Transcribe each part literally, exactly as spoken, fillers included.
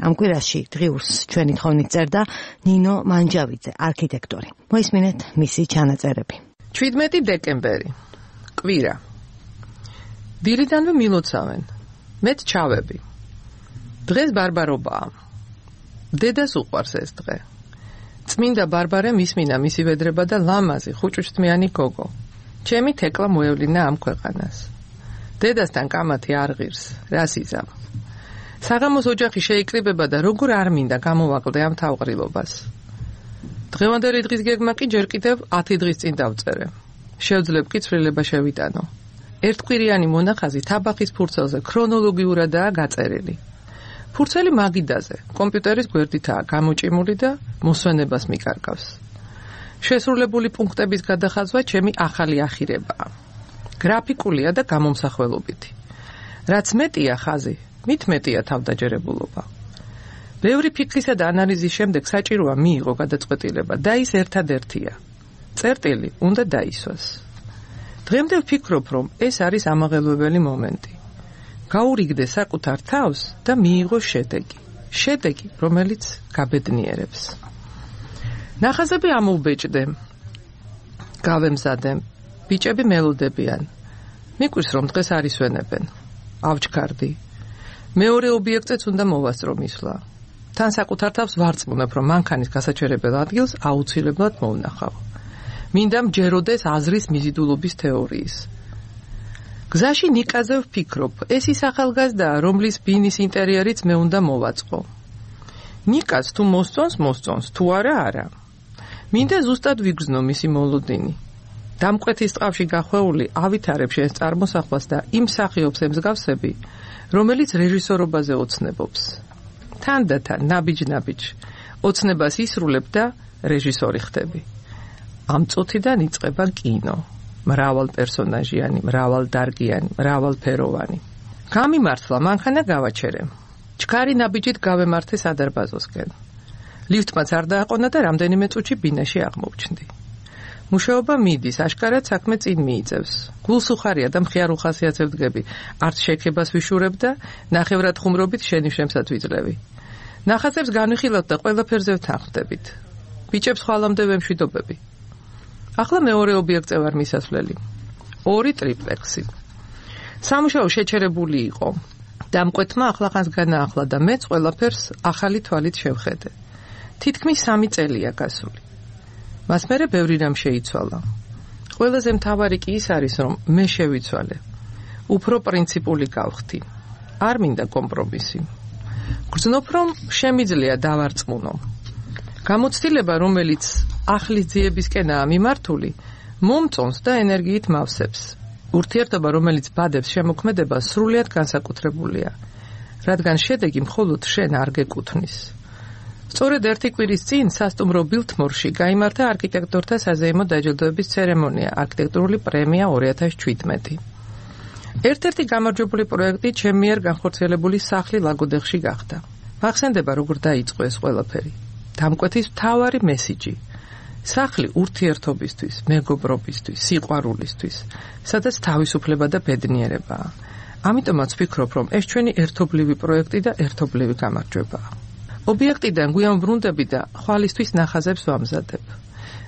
ამ კვირაში დღიურს ჩვენი თხოვნით წერდა ნინო მანჯავიძე, არქიტექტორი. მოისმინეთ მისი ჩანაწერები. შვიდმეტი დეკემბერი. კვირა. დილიდანვე მილოცავენ. მეც ჩავები. დღეს ბარბარობაა. დედას უყვარს ეს დღე. წმინდა ბარბარემ ისმინა მისი ვედრება და ლამაზი ხუჭუჭთმიანი გოგო. ჩემი თეკლა მოევლინა ამ ქვეყანას. დედასთან კამათი არ ღირს, რას იზამ. საღამოს ოჯახი შეიკრიბება და როგორ არ მინდა გამოვაკლდე ამ თავყრილობას. დღევანდელი დღის გეგმა კი ჯერ კიდევ ათი დღის წინ დავწერე. შევძლებ კი ცვლილება შევიტანო. ერთკვირიანი მონახაზი თაბახის ფურცელზე ქრონოლოგიურადაა გაწერილი. ფურცელი მაგიდაზე, კომპიუტერის გვერდითაა გამოჭიმული და მოსვენებას მიკარგავს. შესრულებული პუნქტების გადახაზვა ჩემი ახალი ახირებაა. გრაფიკულია და გამომსახველობითი. რაც მეტია ხაზი, მით მეტია თავდაჯერებულობა. ბევრი ფიქრისა და ანალიზის შემდეგ საჭიროა მიიღო გადაწყვეტილება და ის ერთადერთია. წერტილი უნდა დაისვას. დღემდე ვფიქრობ, რომ ეს არის ამაღელვებელი მომენტი. გაურიგდე საკუთარ თავს და მიიღო შედეგი. შედეგი, რომელიც გაბედნიერებს. ნახაზები ამოვბეჭდე. გავემზადე. ბიჭები მელოდებიან. მიკვირს, რომ დღეს არ ისვენებენ. ავჩქარდი. მეორე ობიექტეც უნდა მოვასწრო მისვლა. თან საკუთარ თავს ვარწმუნებ, რომ მანქანის გასაჩერებელ ადგილს აუცილებლად მოვნახავ. მინდა მჯეროდეს აზრის მიზიდულობის თეორიის. გზაში ნიკაზე ვფიქრობ, ეს ის ახალგაზრდაა, რომლის ბინის ინტერიერიც მე უნდა მოვაწყო. ნიკაც თუ მოსწონს, მოსწონს, თუ არა, არა. მინდა ზუსტად ვიგრძნო მისი მოლოდინი. დამკვეთის ტყავში გახვეული ავითარებ შენს წარმოსახვას და იმ მსახიობს ემსგავსები, რომელიც რეჟისორობაზე ოცნებობს. თან და თან, ნაბიჯ-ნაბიჯ, ოცნებას ისრულებ და რეჟისორი ხდები. ამ წუთიდან იწყება კინო. მრავალ პერსონაჟიანი, მრავალდარგიანი, მრავალფეროვანი. გამიმართლა, მანქანა გავაჩერე. ჩქარი ნაბიჯით გავემართე სადარბაზოსკენ. ლიფტმაც არ დააყონა და რამდენიმე წუთში ბინაში აღმოვჩნდი. მუშაობა მიდის, აშკარად საქმე წინ მიიწევს. გულსუხარია და მხიარ უხასიათებდგები. არც შექებას ვიშურებ და ნახევრად ხუმრობით შენიშვნებსაც ვიძლევი. ნახაზებს განვიხილავთ და ყველაფერზე ვთანხმდებით. ბიჭებს ხვალამდე ვემშვიდობები. ახლა მეორე ობიექტზე ვარ მისასვლელი. ორი ტრიპლექსი. სამუშაო შეჩერებული იყო. დამკვეთმა ახლახანს განაახლა და მეც ყველაფერს ახალი თვალით შევხედე. თითქმის სამი წელია გასული. მას მერე ბევრი რამ შეიცვალა. ყველაზე მთავარი კი ის არის, რომ მე შევიცვალე. უფრო პრინციპული გავხდი. არ მინდა კომპრომისი. გრძნობ, რომ შემიძლია დავარწმუნო. გამოცდილება, რომელიც ახლის ძიებისკენაა მიმართული, მომწონს და ენერგიით მავსებს. ურთიერთობა, რომელიც ბადებს შემოქმედებას, სრულიად განსაკუთრებულია, რადგან შედეგი მხოლოდ შენ არ გეკუთვნის. სწორედ ერთი კვირის წინ სასტუმრო ბილთმორში გაიმართა არქიტექტორთა საზეიმო დაჯილდოების ცერემონია, არქიტექტურული პრემია ორი ათას შვიდმეტი. ერთ-ერთი გამარჯვებული პროექტი ჩემი მიერ განხორციელებული სახლი ლაგოდეხში გახდა. მახსენდება, როგორ დაიწყო ეს ყველაფერი. დამკვეთის მთავარი მესიჯი. სახლი ურთიერთობისთვის, მეგობრობისთვის, სიყვარულისთვის, სადაც თავისუფლება და ბედნიერებაა. ამიტომაც ვფიქრობ, რომ ეს ჩვენი ერთობლივი პროექტი და ერთობლივი გამარჯვებაა. ობიექტიდან გვიან ვრუნდები და ხვალისთვის ნახაზებს ვამზადებ.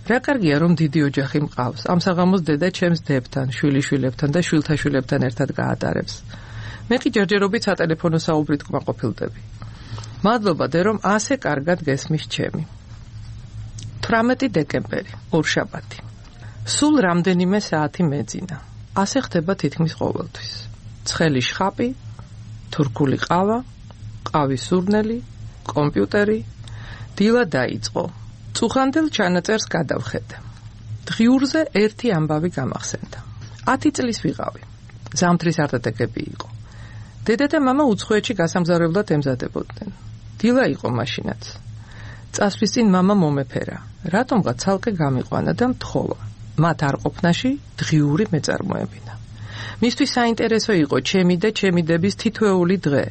რა კარგია, რომ დიდი ოჯახი მყავს. ამ საღამოს დედა ჩემს დებთან, შვილიშვილებთან და შვილთაშვილებთან ერთად გაატარებს. მე კი ჯერჯერობით სატელეფონო საუბრით კმაყოფილდები. მადლობა დე, რომ ასე კარგად გესმის ჩემი. თვრამეტი დეკემბერი, ორშაბათი. სულ რამდენიმე საათი მეძინა. ასე ხდება თითქმის ყოველთვის. ცხელი შხაპი, თურქული ყავა, ყავის სურნელი, კომპიუტერი, დილა დაიწყო. წუხანდელ ჩანაწერს გადავხედე. დღიურზე ერთი ამბავი გამახსენდა. ათი წლის ვიყავი. ზამთრის არტეტეკები იყო. დედა და მამა უცხოეთში გასამგზავრებლად ემზადებოდნენ. დილა იყო მაშინაც. წასვლის წინ მამა მომეფერა. რატომღაც ცალკე გამიყვანა და მთხოვა. მათ არ ყოფნაში დღიური მეწარმოებინა. მისთვის საინტერესო იყო ჩემი და ჩემი დების თითოეული დღე.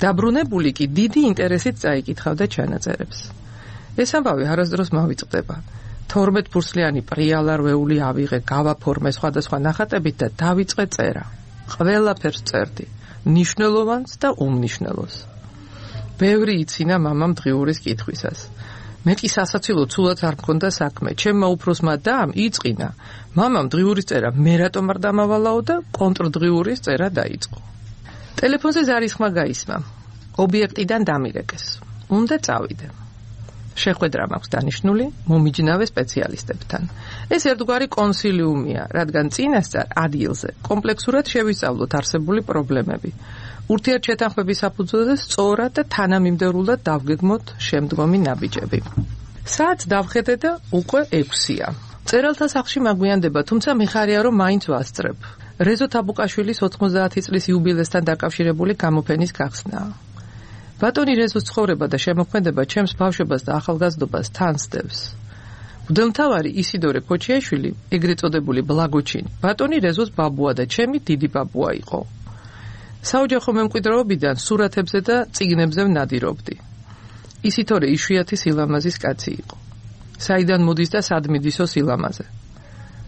დაბრუნებული კი დიდი ინტერესით წაიკითხავდა ჩანაწერებს. ეს ამბავი არასდროს მავიწყდება. თორმეტ ფურცლიანი პრიალარვეული ავიღე, გავაფორმე სხვადასხვა ნახატებით და დავიწყე წერა. ყველაფერს წერდი, მნიშვნელოვანს და უმნიშვნელოს. ბევრი იცინა მამამ დღიურის კითხვისას. მე კი სასაცილო ცუდად არ მქონდა საქმე. ჩემმა უფროსმა დამ იწყინა. მამამ დღიურის წერა მე რატომ არ დამავალაო და კონტრდღიურის წერა დაიწყო. ტელეფონზე ზარის ხმა გაისმა. ობიექტიდან დამირეკეს. უნდა წავიდე. შეხვედრა მაქვს დანიშნული მომიჯნავე სპეციალისტებთან. ეს ერთგვარი კონსილიუმია, რადგან წინასწარ ადგილზე კომპლექსურად შევისწავლოთ არსებული პრობლემები. ურთიერთშეთანხმების საფუძველზე სწორად და თანამიმდევრულად დავგეგმოთ შემდგომი ნაბიჯები. საათს დავხედე და უკვე ექვსია. წერალთა სახლში მაგვიანდება, თუმცა მიხარია რომ მაინც ვასწრებ. რეზო თაბუკაშვილის ოთხმოცდაათი წლის იუბილესთან დაკავშირებული გამოფენის გახსნაა. ბატონი რეზოს ცხოვრება და შემოქმედება ჩემს ბავშვობას და ახალგაზრდობას თანსდევს. მღვდელმთავარი ისიდორე ქოჩიაშვილი, ეგრეთ წოდებული ბლაგოჩინი, ბატონი რეზოს ბაბუა და ჩემი დიდი ბაბუა იყო. საოჯახო მემკვიდრეობიდან სურათებზე და წიგნებზე ვნადირობდი. ისითორე იშვიათი სილამაზის კაცი იყო. საიდან მოდის და სად მიდისო სილამაზე.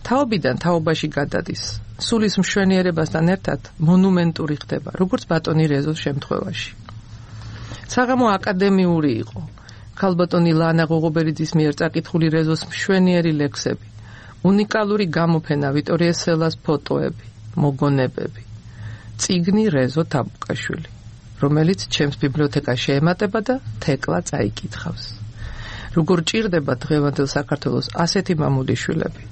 თაობიდან თაობაში გადადის. სულის მშვენიერებასთან ერთად მონუმენტური ხდება, როგორც ბატონი რეზოს შემთხვევაში. საღამო აკადემიური იყო. ქალბატონი ლანა ღოღობერიძის მიერ წაკითხული რეზოს მშვენიერი ლექსები, უნიკალური გამოფენა ვიტორია სელას ფოტოები, მოგონებები. წიგნი რეზო თაბუკაშვილი, რომელიც ჩემს ბიბლიოთეკას შეემატება და თეკლა წაიკითხავს. როგორ ჭირდება დღევანდელ საქართველოს ასეთი მამულიშვილები.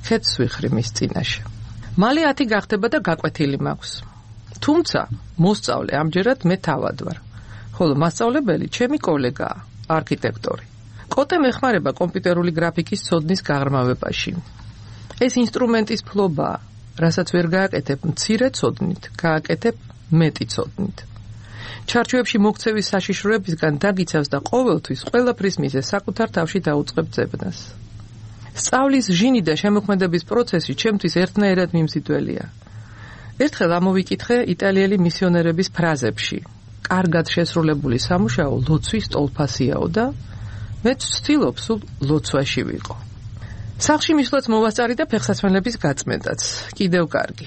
ხეთს ვიხრი მის წინაშე. მალე ათი გახდება და გაკვეთილი მაქვს. თუმცა მოსწავლე ამჯერად მე თავად ვარ. ხოლო მასწავლებელი ჩემი კოლეგაა, არქიტექტორი. კოტე მეხმარება კომპიუტერული გრაფიკის ცოდნის გაღრმავებაში. ეს ინსტრუმენტის ფლობაა, რასაც ვერ გააკეთებ მცირე ცოდნით, გააკეთებ მეტი ცოდნით. ჩარჩოებში მოქცევის საშიშროებისგან დაგიცავს და ყოველთვის ყველაფრის მიზეზს საკუთარ თავში დაუწყებ ძებნას. სწავლის ჟინი და შემოქმედების პროცესი ჩემთვის ერთნაირად მიმზიდველია. ერთხელ ამოვიკითხე იტალიელი მისიონერების ფრაზებში. კარგად შესრულებული სამუშაო ლოცვის ტოლფასიაო და მეც ვცდილობ სულ ლოცვაში ვიყო. სახლში მისვლაც მოვასწარი და ფეხსაცმელების გაწმენდაც. კიდევ კარგი.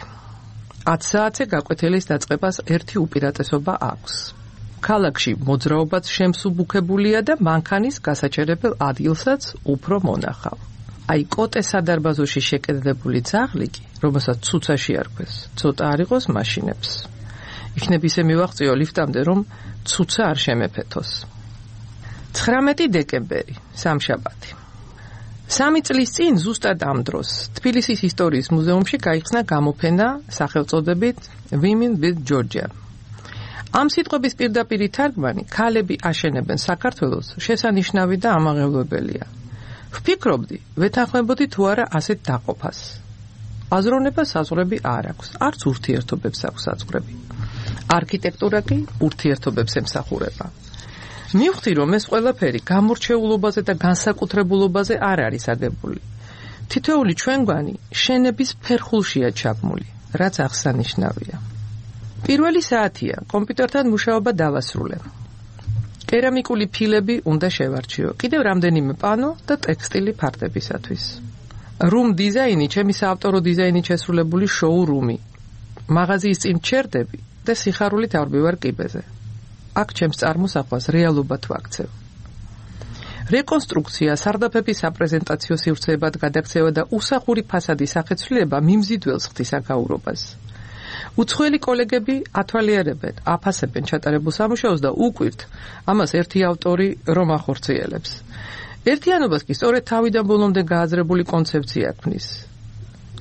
ათ საათზე გაკვეთილის დაწყებას ერთი უპირატესობა აქვს. ქალაქში მოძრაობაც შემსუბუქებულია და მანქანის გასაჩერებელ ადგილსაც უფრო მონახავ. აი კოტე სადარბაზოში შეკედებული ძაღლი კი, რომელსაც ცუცაში არქვეს, ცოტა არ იყოს მაშინებს. იქნებ ისე მივაღწიო ლიფტამდე, რომ ცუცა არ შემეფეთოს. ცხრამეტი დეკემბერი, სამშაბათი. სამი წლის წინ ზუსტად ამ დროს თბილისის ისტორიის მუზეუმში გაიხსნა გამოფენა სახელწოდებით Women with Georgia. ამ სიტყვების პირდაპირი თარგმანი ქალები აშენებენ საქართველოს შესანიშნავი და ამაღელვებელია. ვფიქრობდი, ვეთანხმებოდი თუ არა ასეთ დაყოფას. აზროვნება საზღვრები არ აქვს, არც ურთიერთობებს აქვს საზღვრები. არქიტექტურა კი ურთიერთობებს ემსახურება. მივხვდი, რომ ეს ყველაფერი გამორჩეულობაზე და განსაკუთრებულობაზე არ არის აგებული. თითოეული ჩვენგვანი შენების ფერხულშია ჩაბმული, რაც აღსანიშნავია. პირველი საათია, კომპიუტერთან მუშაობა დავასრულე. კერამიკული ფილები უნდა შევარჩიო, კიდევ რამდენიმე პანო და ტექსტილი ფარდებისათვის. რუმ დიზაინი, ჩემი საავტორო დიზაინით შესრულებული შოურუმი. მაღაზიის წინ ჩერდები და სიხარულით ავრბივარ კიბეზე. აქ ჩემს წარმოსახვას რეალობად ვაქცევ. რეკონსტრუქცია, სარდაფების საპრეზენტაციო სივრცეებად გადაქცევა და უსახური ფასადის სახეცვლილება მიმზიდველს ხდის აკაურობას. უცხოელი კოლეგები ათვალიერებენ, აფასებენ ჩატარებულ სამუშაოს და უკვირთ, ამას ერთი ავტორი რომ ახორციელებს. ერთიანობას კი სწორედ თავიდან ბოლომდე გააზრებული კონცეფცია ქმნის.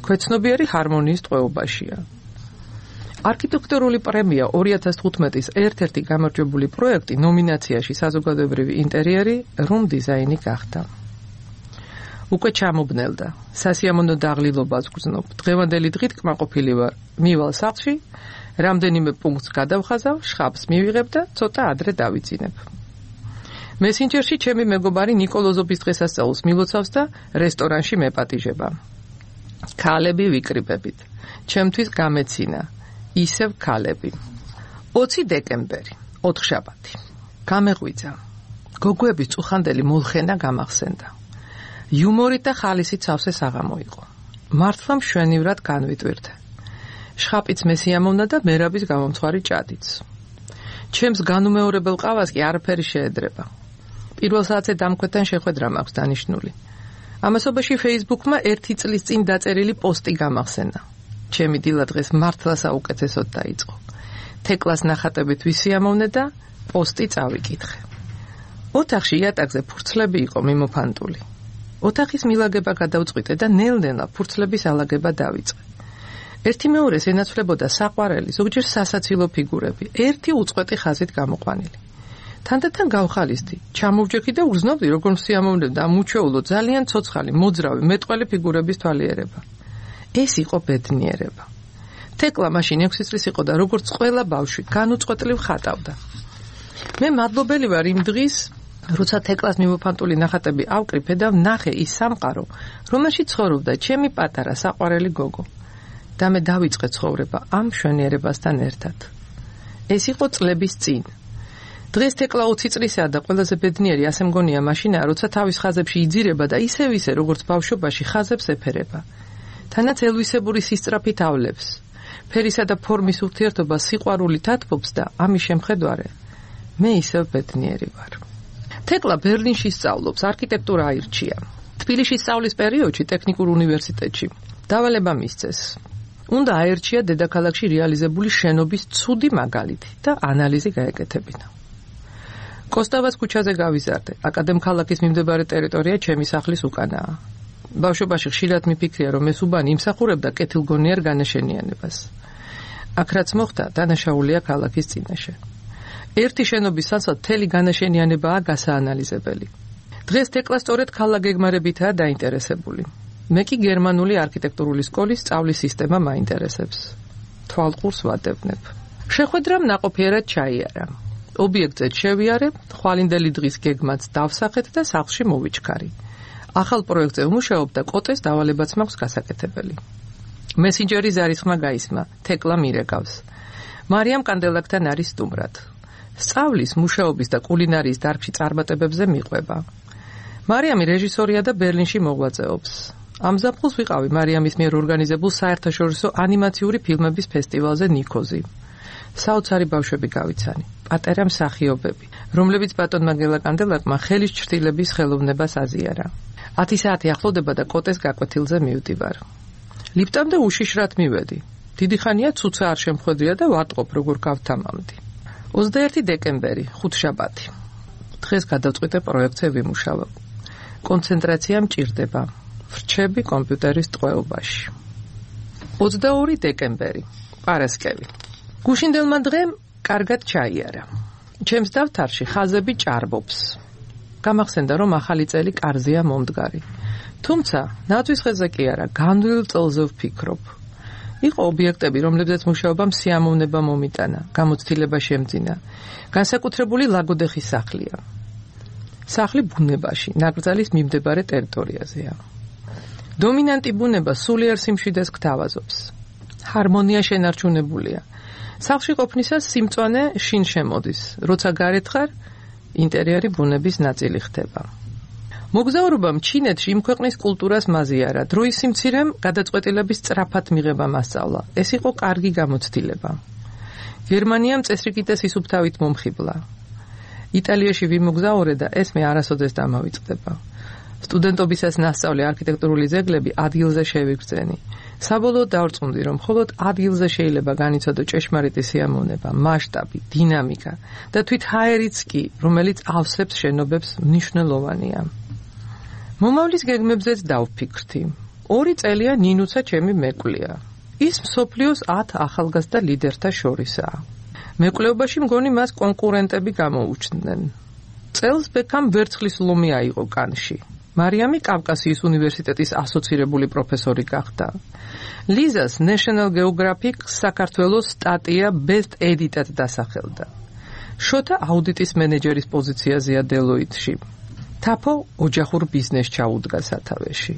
ქვეცნობიერი ჰარმონიის ტყვეობაშია. არქიტექტურული პრემია ორი ათას თხუთმეტის ერთ-ერთი გამარჯვებული პროექტი ნომინაციაში საზოგადოებრივი ინტერიერი რუმ დიზაინი გახდა. უკვე ჩამობნელდა. სასიამოვნო დაღლილობას გრძნობ. დღევანდელი დღით კმაყოფილი ვარ. მივალ სახლში, რამდენიმე პუნქტს გადავხაზავ, შხაპს მივიღებ და ცოტა ადრე დავიძინებ. მესენჯერში ჩემი მეგობარი ნიკოლოზობის დღესასწაულს მილოცავს და რესტორანში მეპატიჟება. ქალები ვიკრიბებით. ჩემთვის გამეცინა. ისევ ქალები. ოცი დეკემბერი, ოთხშაბათი. გამეღვიძა. გოგოების წუხანდელი მოლხენა გამახსენდა. იუმორით და ხალისით სავსე საღამო იყო. მართლა მშვენივრად განვიტვირთე. შხაპიც მესიამოვნა და მერაბის გამომცხვარი ჭადიც. ჩემს განუმეორებელ ყავას კი არაფერი შეედრება. პირველ საათზე დამკვეთთან შეხვედრა მაქვს დანიშნული. ამასობაში Facebook-მა ერთი წლის წინ დაწერილი პოსტი გამახსენა. ჩემი დილა დღეს მართლა საუკეთესოდ დაიწყო. თეკლას ნახატებით ვისიამოვნე და პოსტი წავიკითხე. ოთახში იატაკზე ფურცლები იყო მიმოფანტული. ოთახის მილაგება გადავწყვიტე და ნელ-ნელა ფურცლების ალაგება დავიწყე. ერთი მეორეს ენაცვლებოდა საყვარელი, ზოგჯერ სასაცილო ფიგურები, ერთი უწყვეტი ხაზით გამოყვანილი. თანდათან გავხალისდი, ჩამოვჯექი და უგრძნობდი, როგორ მსიამოვნებდა ამ უჩვეულო ძალიან ცოცხალი, მოძრავი, მეტყველი ფიგურების თვალიერება. ეს იყო ბედნიერება. თეკლა მაშინ ექვსი წლის იყო და როგორც ყველა ბავშვი, განუწყვეტლივ ხატავდა. მე მადლობელი ვარ იმ დღის, როცა თეკლას მიმოფანტული ნახატები ავკრიფე და ვნახე ის სამყარო, რომელშიც ცხოვრობდა ჩემი პატარა საყვარელი გოგო. და მე დავიწყე ცხოვრება ამ მშვენიერებასთან ერთად. ეს იყო წლების წინ. დღეს თეკლა ოცი წლისაა და ყველაზე ბედნიერი ასე მგონია მაშინაა, როცა თავის ხაზებში იძირება და ისევ ისე როგორც ბავშვობაში ხაზებს ეფერება. თანაც ელვისებური სისწრაფით ავლებს. ფერისა და ფორმის ურთიერთობა სიყვარულით ათბობს და ამის შემხედარე მე ისევ ბედნიერი ვარ. თეკლა ბერლინში სწავლობს, არქიტექტურა აირჩია. თბილისში სწავლის პერიოდში ტექნიკურ უნივერსიტეტში დავალება მისცეს. უნდა აერჩია დედაქალაქში რეალიზებული შენობის ცუდი მაგალითი და ანალიზი გაეკეთებინა. კოსტავას ქუჩაზე გავიზარდე. აკადემქალაქის მიმდებარე ტერიტორია ჩემი სახლის უკანაა. ბავშვობაში ხშირად მიფიქრია, რომ ეს უბანი იმსახურებდა კეთილგონიერ განაშენიანებას. აქ რაც მოხდა, დანაშაულია ქალაქის წინაშე. ერთი შენობის საცვლად მთელი განაშენიანებაა გასაანალიზებელი. დღეს თეკლა სწორედ ქალაქგეგმარებითაა დაინტერესებული. მე კი გერმანული არქიტექტურული სკოლის სწავლის სისტემა მაინტერესებს. თვალყურს ვადევნებ. შეხვედრამ ნაყოფიერად ჩაიარა. ობიექტზე შევიარე, ხვალინდელი დღის გეგმაც დავსახეთ და სახლში მოვიჩქარი. ახალ პროექტზე ვმუშაობ და კოტეს დავალებაც მაქვს გასაკეთებელი. მესენჯერის ზარისხმა გაისმა, თეკლა მირეკავს. მარიამ კანდელაკთან არის სტუმრად. სწავლის, მუშაობის და კულინარიის დარგში წარმატებებზე მიყვება. მარიამი რეჟისორია და ბერლინში მოღვაწეობს. ამ ზაფხულს ვიყავი მარიამის მიერ ორგანიზებულ საერთაშორისო ანიმაციური ფილმების ფესტივალზე ნიქოზი. საოცარი ბავშვები გავიცანი, პატარა მსახიობები, რომლებიც ბატონმა გელაკანდელაკმა ხელის ჩრდილების ხელოვნებას აზიარა. ათი საათი ახლოვდება და კოტეს გაკვეთილზე მივდივარ. ლიფტამდე უშიშრად მივედი. დიდი ხანია ცუცა არ შემხვედრია და ვატყობ როგორ გავთამამდი. ოცდაერთი დეკემბერი, ხუთშაბათი. დღეს გადავწყვიტე პროექტზე ვიმუშავებ. კონცენტრაცია მჭირდება. ვრჩები კომპიუტერის ტყვეობაში. ოცდაორი დეკემბერი, პარასკევი. გუშინდელმა დღემ კარგად ჩაიარა. ჩემს დავთარში ხაზები ჭარბობს. გამახსენდა, რომ ახალი წელი კარზეა მომდგარი. თუმცა, ნათვის ხეზე კი არა, განდვილ წელზე ვფიქრობ. იყო ობიექტები, რომლებზეც მუშაობამ სიამოვნება მომიტანა, გამოცდილება შემძინა. განსაკუთრებული ლაგოდეხის სახლია. სახლი ბუნებაში, ნაკრძალის მიმდებარე ტერიტორიაზეა. დომინანტი ბუნება სულიერ სიმშვიდეს გთავაზობს. ჰარმონია შენარჩუნებულია. სახლში ყოფნისას სიმწვანე შინ შემოდის, როცა გარეთ ხარ, ინტერიერი ბუნების ნაწილი ხდება. მოგზაურობამ ჩინეთში იმ ქვეყნის კულტურას მაზიარა, დროის სიმცირემ გადაწყვეტილების სწრაფად მიღება მასწავლა. ეს იყო კარგი გამოცდილება. გერმანიამ წესრიგითეს ისუფთავით მომხიბლა. იტალიაში ვიმოგზაურე და ეს მე არასოდეს დამავიწყდება. სტუდენტობისას ნასწავლე არქიტექტურული ძეგლები ადგილზე შევიგრძენი. საბოლოოდ დავრწმუნდი, რომ მხოლოდ ადგილზე შეიძლება განიცადო ჭეშმარიტი სიამოვნება, მასშტაბი, დინამიკა და თვით ჰაერიც კი, რომელიც ავსებს შენობებს, მნიშვნელოვანია. მომავლის გეგმებზეც დავფიქრდი. ორი წელია ნინუცა ჩემი მეკვლია. ის მსოფლიოს ათ ახალგაზრდა ლიდერთა შორისაა. მეკვლეობაში მგონი მას კონკურენტები გამოუჩნდნენ. წელს ბექამ ვერცხლის ლომი აიღო კანში. მარიამი კავკასიის უნივერსიტეტის ასოცირებული პროფესორი გახდა. ლიზას National Geographic საქართველოს სტატია Best Edit-ად დასახელდა. შოთა აუდიტის მენეჯერის პოზიციაზეა Deloitte-ში. თაფო ოჯახურ ბიზნესს ჩაუდგა სათავეში.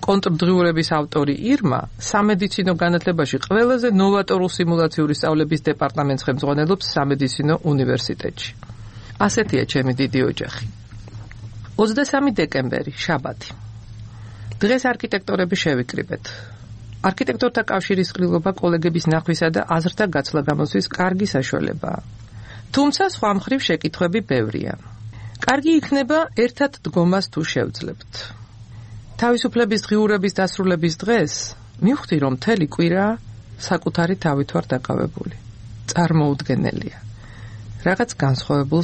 კონტრდღიურების ავტორი ირმა სამედიცინო განათლებაში ყველაზე ნოვატორულ სიმულაციური სწავლების დეპარტამენტს ხელმძღვანელობს სამედიცინო უნივერსიტეტში. ასეთია ჩემი დიდი ოჯახი. ოცდასამი დეკემბერი, შაბათი. დღეს არქიტექტორები შევიკრიბეთ. არქიტექტორთა კავშირის ყრილობა კოლეგების ნახვისა და აზრთა გაცვლა გამოსვის კარგი საშუალებაა. თუმცა სხვა მხრივ შეკითხვები ბევრია. კარგი იქნება ერთად დგომას თუ შევძლებთ. თავისუფლების დღიურების დასრულების დღეს მივხვდი, რომ მთელი კვირა საკუთარი თავით ვარ დაკავებული. წარმოუდგენელია. რაღაც განსხვავებულს